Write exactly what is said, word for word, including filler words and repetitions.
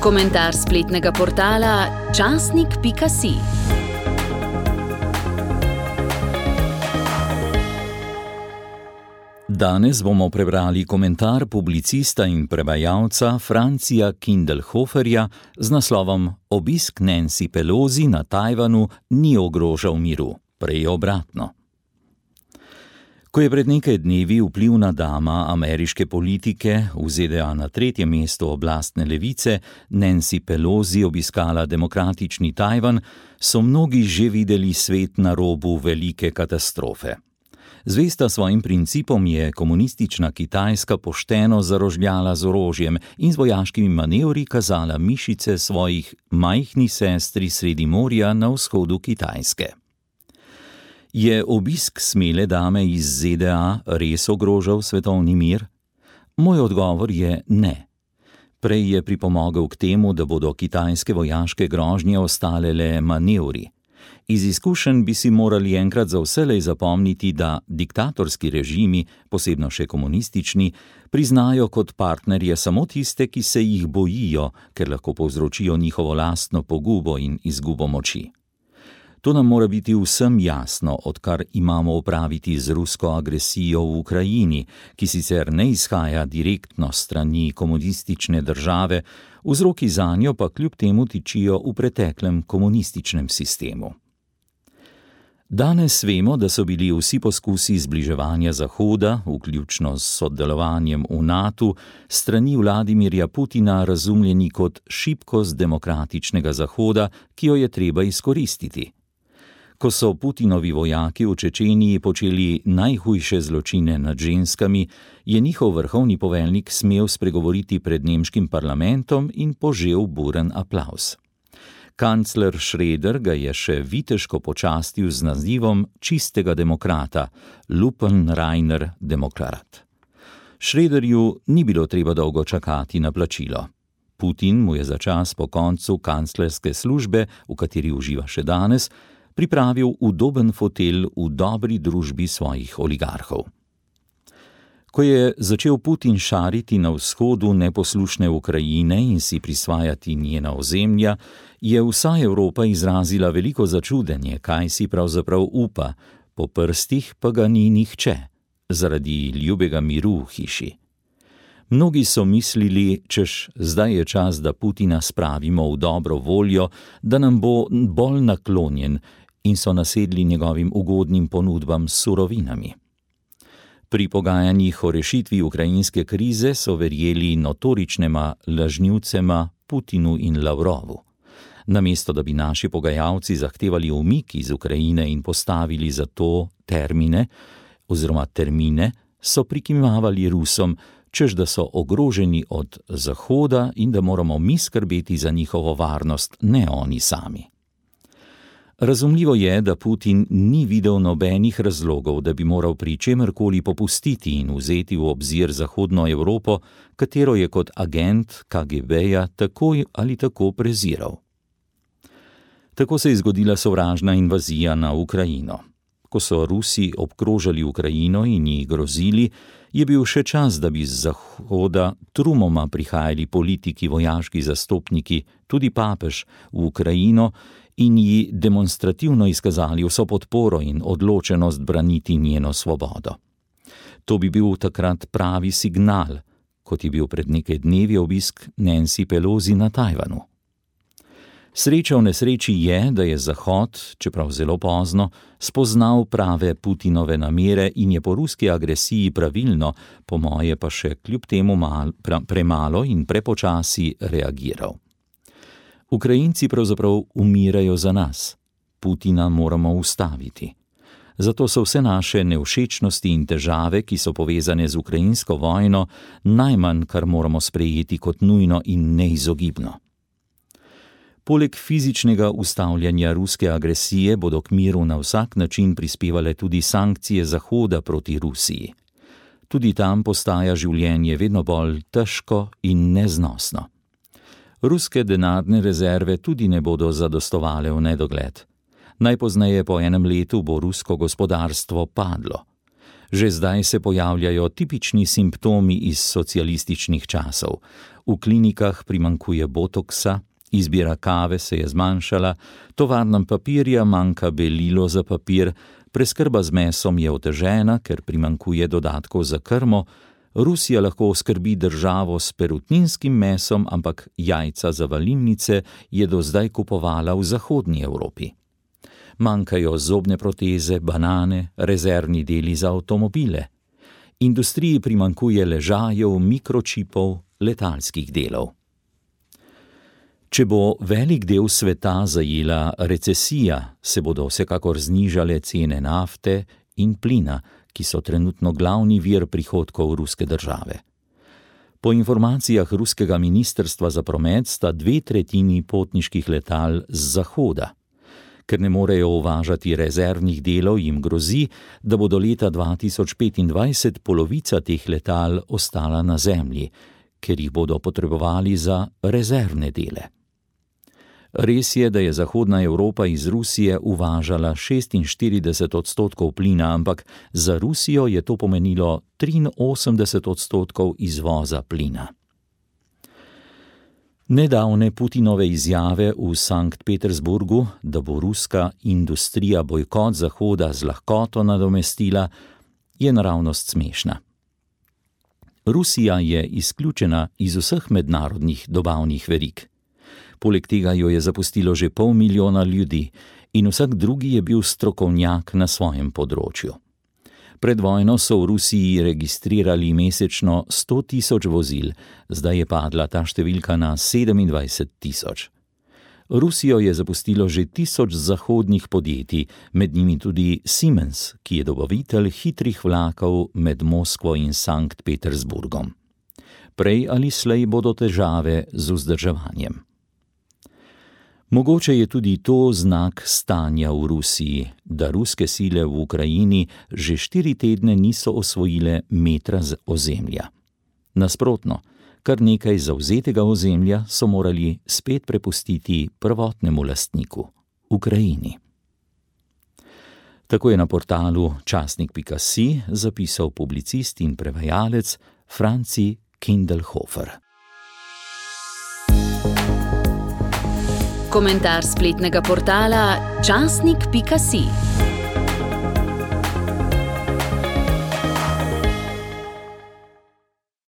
Komentar spletnega portala časnik pika si. Danes bomo prebrali komentar publicista in prevajalca Francija Kindelhoferja z naslovom Obisk Nancy Pelosi na Tajvanu ni ogrožal miru, prej obratno. Ko je pred nekaj dnevi vplivna dama ameriške politike v Z D A na tretje mesto oblastne levice Nancy Pelosi obiskala demokratični Tajvan, so mnogi že videli svet na robu velike katastrofe. Zvesta svojim principom je komunistična Kitajska pošteno zarožljala z orožjem in z vojaškimi manevri kazala mišice svojih majhni sestri sredi morja na vzhodu Kitajske. Je obisk smele dame iz Z D A res ogrožal svetovni mir? Moj odgovor je ne. Prej je pripomogel k temu, da bodo kitajske vojaške grožnje ostale le manevri. Iz izkušenj bi si morali enkrat za vselej zapomniti, da diktatorski režimi, posebno še komunistični, priznajo kot partnerje samo tiste, ki se jih bojijo, ker lahko povzročijo njihovo lastno pogubo in izgubo moči. To nam mora biti vsem jasno, odkar imamo opraviti z rusko agresijo v Ukrajini, ki sicer ne izhaja direktno s strani komunistične države, vzroki zanjo pa kljub temu tičijo v preteklem komunističnem sistemu. Danes vemo, da so bili vsi poskusi zbliževanja Zahoda, vključno s sodelovanjem v natu, strani Vladimirja Putina razumljeni kot šibkost demokratičnega Zahoda, ki jo je treba izkoristiti. Ko so Putinovi vojaki v Čečeniji počeli najhujše zločine nad ženskami, je njihov vrhovni poveljnik smel spregovoriti pred nemškim parlamentom in požel buren aplavz. Kancler Schröder ga je še viteško počastil z nazivom čistega demokrata, lupenreiner Demokrat. Schröderju ni bilo treba dolgo čakati na plačilo. Putin mu je za čas po koncu kanclerske službe, v kateri uživa še danes, pripravil udoben fotelj v dobri družbi svojih oligarhov. Ko je začel Putin šariti na vzhodu neposlušne Ukrajine in si prisvajati njena ozemlja, je vsa Evropa izrazila veliko začudenje, kaj si pravzaprav upa, po prstih pa ga ni nihče, zaradi ljubega miru v hiši. Mnogi so mislili, češ zdaj je čas, da Putina spravimo v dobro voljo, da nam bo bolj naklonjen, in so nasedli njegovim ugodnim ponudbam s surovinami. Pri pogajanjih o rešitvi ukrajinske krize so verjeli notoričnema lažnivcema Putinu in Lavrovu. Namesto da bi naši pogajalci zahtevali umik iz Ukrajine in postavili za to termine oziroma termine, so prikimavali Rusom, češ da so ogroženi od Zahoda in da moramo mi skrbeti za njihovo varnost, ne oni sami. Razumljivo je, da Putin ni videl nobenih razlogov, da bi moral pri čemerkoli popustiti in vzeti v obzir Zahodno Evropo, katero je kot agent K G B-ja tako ali tako preziral. Tako se je zgodila sovražna invazija na Ukrajino. Ko so Rusi obkrožali Ukrajino in ji grozili, je bil še čas, da bi z Zahoda trumoma prihajali politiki, vojaški zastopniki, tudi papež v Ukrajino in ji demonstrativno izkazali vso podporo in odločenost braniti njeno svobodo. To bi bil takrat pravi signal, kot je bil pred nekaj dnevi obisk Nancy Pelosi na Tajvanu. Sreča v nesreči je, da je Zahod, čeprav zelo pozno, spoznal prave Putinove namere in je po ruski agresiji pravilno, po moje pa še kljub temu mal, pra, premalo in prepočasi reagiral. Ukrajinci pravzaprav umirajo za nas. Putina moramo ustaviti. Zato so vse naše nevšečnosti in težave, ki so povezane z ukrajinsko vojno, najmanj, kar moramo sprejeti kot nujno in neizogibno. Poleg fizičnega ustavljanja ruske agresije bodo k miru na vsak način prispevale tudi sankcije Zahoda proti Rusiji. Tudi tam postaja življenje vedno bolj težko in neznosno. Ruske denarne rezerve tudi ne bodo zadostovale v nedogled. Najpozneje po enem letu bo rusko gospodarstvo padlo. Že zdaj se pojavljajo tipični simptomi iz socialističnih časov. v klinikah primanjkuje botoksa, izbira kave se je zmanjšala, tovarnam papirja manjka belilo za papir, preskrba z mesom je otežena, ker primanjkuje dodatkov za krmo, Rusija lahko oskrbi državo s perutninskim mesom, ampak jajca za valilnice je do zdaj kupovala v zahodni Evropi. Manjkajo zobne proteze, banane, rezervni deli za avtomobile. Industriji primanjkuje ležajev, mikročipov, letalskih delov. Če bo velik del sveta zajela recesija, se bodo vsekakor znižale cene nafte in plina, ki so trenutno glavni vir prihodkov ruske države. Po informacijah ruskega ministrstva za promet sta dve tretjini potniških letal z zahoda. Ker ne morejo uvažati rezervnih delov, jim grozi, da bo do leta dva tisoč petindvajset polovica teh letal ostala na zemlji, ker jih bodo potrebovali za rezervne dele. Res je, da je Zahodna Evropa iz Rusije uvažala šestinštirideset odstotkov plina, ampak za Rusijo je to pomenilo triinosemdeset odstotkov izvoza plina. Nedavne Putinove izjave v Sankt Petersburgu, da bo ruska industrija bojkot Zahoda z lahkoto nadomestila, je naravnost smešna. Rusija je izključena iz vseh mednarodnih dobavnih verig. Poleg tega jo je zapustilo že pol milijona ljudi in vsak drugi je bil strokovnjak na svojem področju. Pred vojno so v Rusiji registrirali mesečno sto tisoč vozil, zdaj je padla ta številka na sedemindvajset tisoč. Rusijo je zapustilo že tisoč zahodnih podjetij, med njimi tudi Siemens, ki je dobavitelj hitrih vlakov med Moskvo in Sankt Petersburgom. Prej ali slej bodo težave z vzdrževanjem. Mogoče je tudi to znak stanja v Rusiji, da ruske sile v Ukrajini že štiri tedne niso osvojile metra z ozemlja. Nasprotno, kar nekaj zavzetega ozemlja so morali spet prepustiti prvotnemu lastniku, Ukrajini. Tako je na portalu časnik pika si zapisal publicist in prevajalec Franci Kindelhofer. Komentar spletnega portala časnik pika si.